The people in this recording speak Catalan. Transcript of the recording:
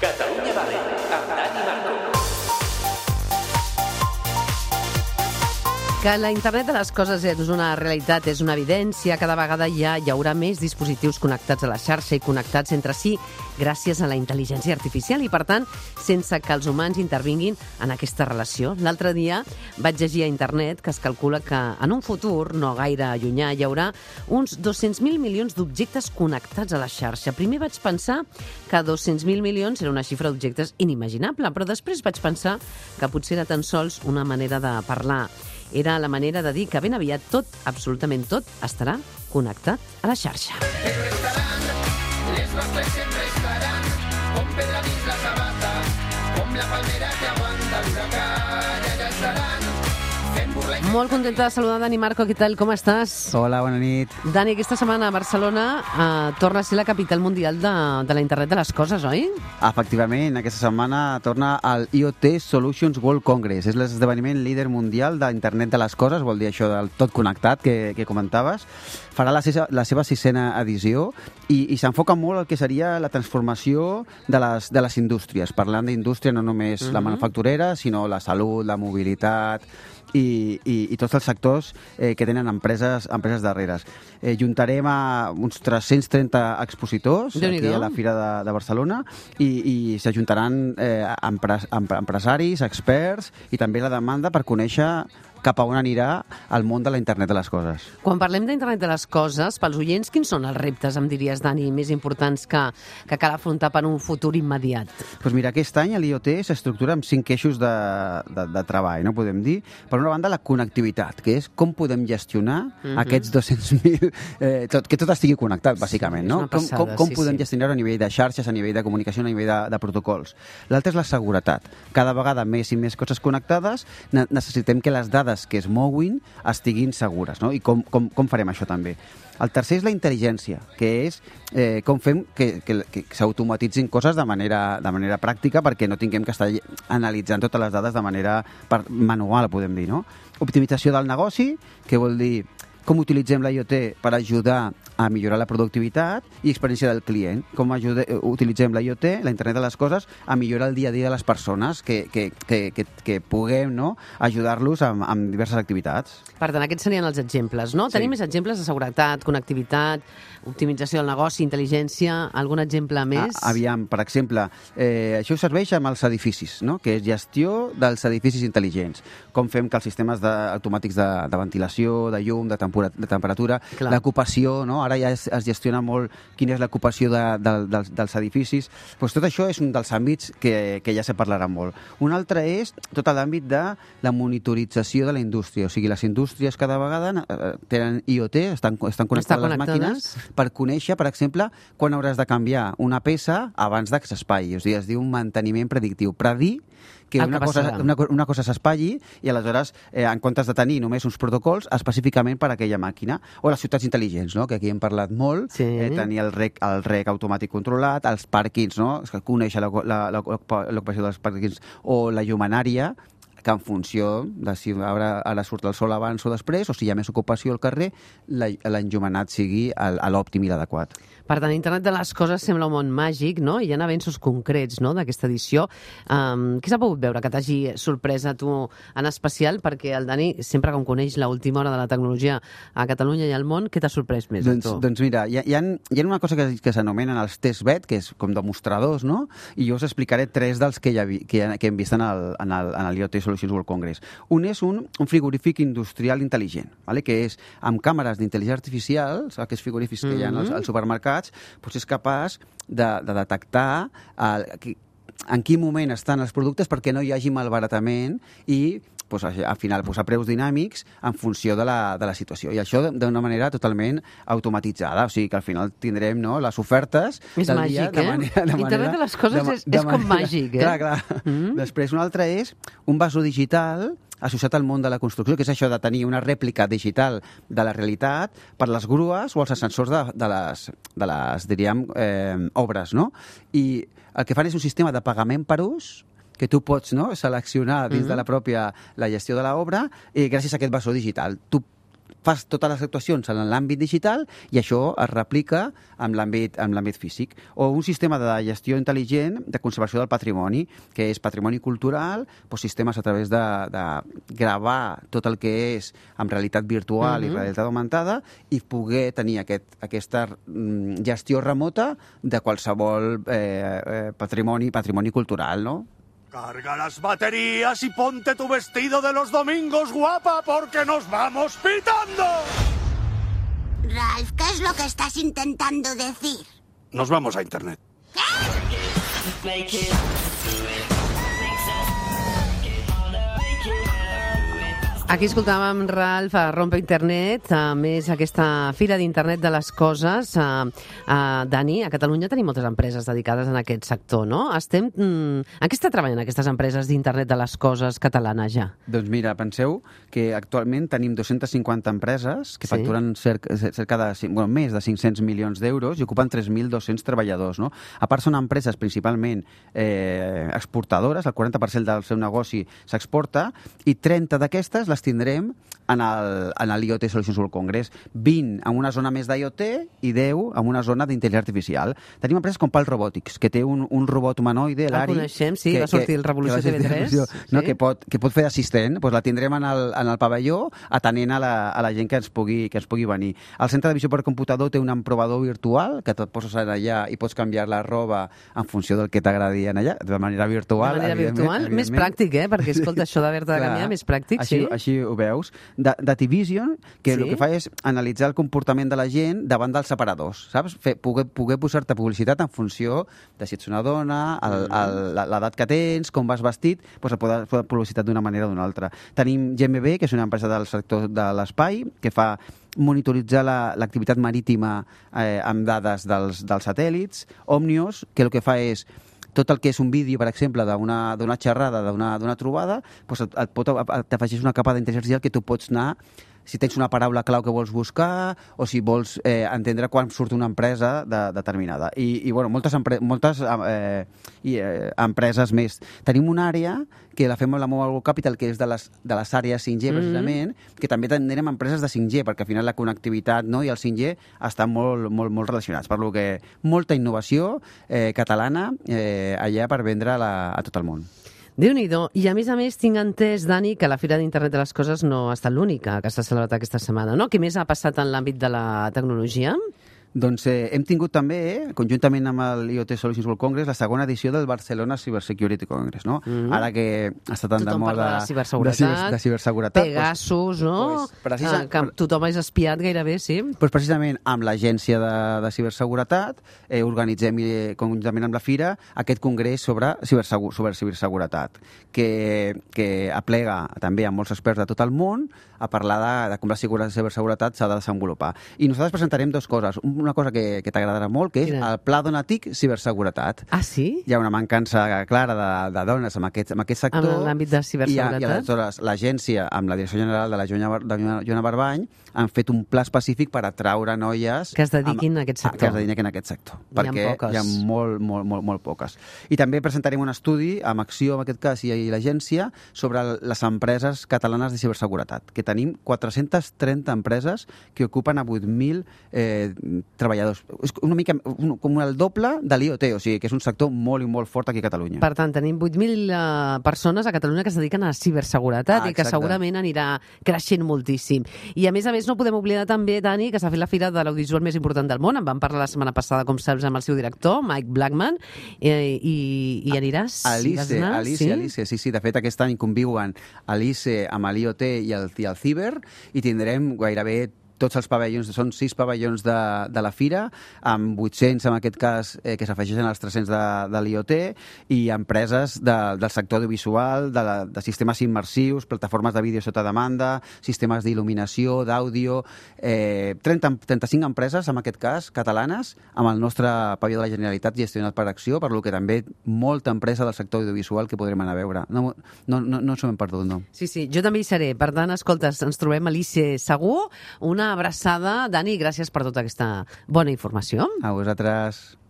Catalunya Vàlent, amb Dani Marco. Que la internet de les coses és una realitat, és una evidència. Cada vegada hi haurà més dispositius connectats a la xarxa i connectats entre si gràcies a la intel·ligència artificial i, per tant, sense que els humans intervinguin en aquesta relació. L'altre dia vaig llegir a internet que es calcula que en un futur no gaire llunyà hi haurà uns 200.000 milions d'objectes connectats a la xarxa. Primer vaig pensar que 200.000 milions era una xifra d'objectes inimaginable, però després vaig pensar que potser era tan sols una manera de parlar. Era la manera de dir que ben aviat tot, absolutament tot, estarà connectat a la xarxa. El restaurant, les nostres sempre estaran, com pedra dins la sabata, com la palmera que aguanta l'huracan, allà estaran, fent burla i... Molt contenta de saludar Dani Marco, què tal, com estàs? Hola, bona nit. Dani, aquesta setmana a Barcelona torna a ser la capital mundial de la internet de les coses, oi? Efectivament, aquesta setmana torna al IoT Solutions World Congress. És l'esdeveniment líder mundial d'internet de les coses, vol dir això del tot connectat que comentaves. Farà la seva 6a edició i s'enfoca molt al que seria la transformació de les indústries. Parlant d'indústria, no només la manufacturera, sinó la salut, la mobilitat i tots els sectors que tenen empreses darreres. Juntarem a uns 330 expositors aquí a la Fira de Barcelona i s'ajuntaran empresaris, experts i també la demanda per conèixer cap a on anirà el món de la internet de les coses. Quan parlem d'internet de les coses, pels oients, quins són els reptes, em diries, Dani, més importants que cal afrontar per un futur immediat? Doncs mira, aquest any l'IoT s'estructura amb 5 eixos de treball, no podem dir. Per una banda, la connectivitat, que és com podem gestionar aquests 200.000... que tot estigui connectat, bàsicament, no? Com podem gestionar-ho a nivell de xarxes, a nivell de comunicació, a nivell de protocols. L'altre és la seguretat. Cada vegada més i més coses connectades, necessitem que les dades que es moguin estiguin segures, no? I com farem això també? El tercer és la intel·ligència, que és com fem que s'automatitzin coses de manera pràctica perquè no tinguem que estar analitzant totes les dades de manera manual, podem dir, no? Optimització del negoci, que vol dir com utilitzem la IoT per ajudar a millorar la productivitat i experiència del client. Com utilitzem la IoT, la internet de les coses, a millorar el dia a dia de les persones, que puguem, no, ajudar-los amb diverses activitats. Per tant, aquests serien els exemples, no? Sí. Tenim més exemples de seguretat, connectivitat, optimització del negoci, intel·ligència, algun exemple més? Aviam, per exemple, això serveix amb els edificis, no? Que és gestió dels edificis intel·ligents. Com fem que els sistemes automàtics de ventilació, de llum, de temperatura, l'ocupació, no? Ara ja es gestiona molt quina és l'ocupació dels edificis. Pues tot això és un dels àmbits que ja se parlarà molt. Un altre és tot l'àmbit de la monitorització de la indústria. O sigui, les indústries cada vegada tenen IoT, estan connectades a les màquines per conèixer, per exemple, quan hauràs de canviar una peça abans que s'espatlli. O sigui, es diu un manteniment predictiu. Predir que una cosa s'espatlli i aleshores, en comptes de tenir només uns protocols específicament per a aquella màquina. O les ciutats intel·ligents, no? Que aquí hem parlat molt, tenir el rec automàtic controlat, els pàrquings, no? Conèixer l'ocupació dels pàrquings o la llumenària, que en funció de si ara surt el sol abans o després, o si hi ha més ocupació al carrer, l'enllumenat sigui a l'òptim i l'adequat. Per tant, internet de les coses sembla un món màgic, no? I hi ha avenços concrets, no?, d'aquesta edició. Què s'ha pogut veure que t'hagi sorprès a tu en especial? Perquè el Dani, sempre com coneix l'última hora de la tecnologia a Catalunya i al món, què t'ha sorprès més a tu? Doncs mira, hi ha una cosa que s'anomenen els test bed, que és com demostradors, no? I jo us explicaré 3 dels que hem vist en l'IoT Solutions World Congress. Un és un frigorífic industrial intel·ligent, que és amb càmeres d'intel·ligència artificial, aquests frigorífics que hi ha als supermercats, doncs és capaç de detectar en quin moment estan els productes perquè no hi hagi malbaratament i al final a preus dinàmics en funció de la situació. I això d'una manera totalment automatitzada. O sigui que al final tindrem les ofertes del dia de manera... Internet de les coses és com màgic, eh? Clar. Després un altre és un vasó digital associat al món de la construcció, que és això de tenir una rèplica digital de la realitat per les grues o els ascensors de les diríem, obres, no? I el que fan és un sistema de pagament per ús que tu pots seleccionar dins de la gestió de l'obra gràcies a aquest vasó digital. Tu fas totes les actuacions en l'àmbit digital i això es replica en l'àmbit físic. O un sistema de gestió intel·ligent de conservació del patrimoni, que és patrimoni cultural, doncs sistemes a través de gravar tot el que és en realitat virtual i realitat augmentada i poder tenir aquesta gestió remota de qualsevol patrimoni cultural, no? Carga las baterías y ponte tu vestido de los domingos, guapa, porque nos vamos pitando. Ralph, ¿qué es lo que estás intentando decir? Nos vamos a internet. Aquí escoltàvem Ralph a Rompe Internet, a més aquesta Fira d'Internet de les Coses. Dani, a Catalunya tenim moltes empreses dedicades en aquest sector, no? En què està treballant aquestes empreses d'Internet de les Coses catalanes ja? Doncs mira, penseu que actualment tenim 250 empreses que facturen més de 500 milions d'euros i ocupen 3.200 treballadors, no? A part són empreses principalment exportadores, el 40% del seu negoci s'exporta i 30 d'aquestes les tindrem en l'IoT Solutions World Congress, 20 en una zona més d'IoT i 10 en una zona d'intel·ligència artificial. Tenim empreses com Pal Robotics, que té un robot humanoide, l'Ari... El coneixem, sí, va sortir el Revolució TV3. No, que pot fer d'assistent, doncs la tindrem en el pavelló atenent a la gent que ens pugui venir. El centre de visió per computador té un emprovador virtual que et poses allà i pots canviar la roba en funció del que t'agradi allà, de manera virtual. De manera virtual, més pràctic, perquè escolta, això d'haver-de canviar, més pràctic, sí. Així ho veus. Dativision, que el que fa és analitzar el comportament de la gent davant dels separadors, saps? Poder posar-te publicitat en funció de si ets una dona, l'edat que tens, com vas vestit, doncs et poden fer publicitat d'una manera o d'una altra. Tenim GMB, que és una empresa del sector de l'espai, que fa monitoritzar l'activitat marítima amb dades dels satèl·lits. Omnios, que el que fa és tot el que és un vídeo, per exemple, d'una xerrada, d'una trobada, doncs t'afegeix una capa d'intel·ligència artificial que tu pots anar, si tens una paraula clau que vols buscar o si vols entendre quan surt una empresa determinada. I moltes empreses més. Tenim una àrea que la fem amb la Mobile World Capital, que és de les àrees 5G, precisament, que també tindrem empreses de 5G, perquè al final la connectivitat i el 5G estan molt relacionats. Per lo que molta innovació catalana allà per vendre a tot el món. Déu-n'hi-do. I a més, tinc entès, Dani, que la Fira d'Internet de les Coses no ha estat l'única que s'ha celebrat aquesta setmana, no? Què més ha passat en l'àmbit de la tecnologia? Doncs hem tingut també, conjuntament amb l'IoT Solutions World Congress, la segona edició del Barcelona Cyber Security Congress, no? Ara que està tan de moda de ciberseguretat, Pegasus, no? Que tothom és espiat gairebé, sí. Doncs precisament amb l'Agència de Ciberseguretat organitzem conjuntament amb la Fira aquest congrés sobre ciberseguretat, que aplega també a molts experts de tot el món a parlar de com la ciberseguretat s'ha de desenvolupar. I nosaltres presentarem dues coses. Una cosa que t'agradarà molt, que és el Pla Dona TIC Ciberseguretat. Ah, sí? Hi ha una mancança clara de dones en aquest sector. En l'àmbit de ciberseguretat. I aleshores l'agència, amb la direcció general de la Joana Barbany, han fet un pla específic per atraure noies que es dediquin a aquest sector. Perquè hi ha molt poques. I també presentarem un estudi amb Acció, en aquest cas, i l'agència, sobre les empreses catalanes de ciberseguretat, que tenim 430 empreses que ocupen a 8.000 treballadors. És una mica com el doble de l'IoT, o sigui que és un sector molt i molt fort aquí a Catalunya. Per tant, tenim 8.000 persones a Catalunya que es dediquen a la ciberseguretat i que segurament anirà creixent moltíssim. I a més, no podem oblidar també, Dani, que s'ha fet la fira de l'audiovisual més important del món. En vam parlar la setmana passada, com saps, amb el seu director, Mike Blackman, i aniràs? Alice, sí. De fet, aquest any conviuen Alice amb l'IoT i el Ciber, i tindrem gairebé tots els pavellons, són 6 pavellons de la fira, amb 800 en aquest cas que s'afegeixen als 300 de l'IoT, i empreses del sector audiovisual, de sistemes immersius, plataformes de vídeo sota demanda, sistemes d'il·luminació, d'àudio, 35 empreses, en aquest cas, catalanes, amb el nostre pavelló de la Generalitat gestionat per Acció, per lo que també molta empresa del sector audiovisual que podrem anar a veure. No s'ho hem perdut, no. Sí, jo també hi seré. Per tant, escolta, ens trobem a l'ICE segur. Una abraçada. Dani, gràcies per tota aquesta bona informació. A vosaltres.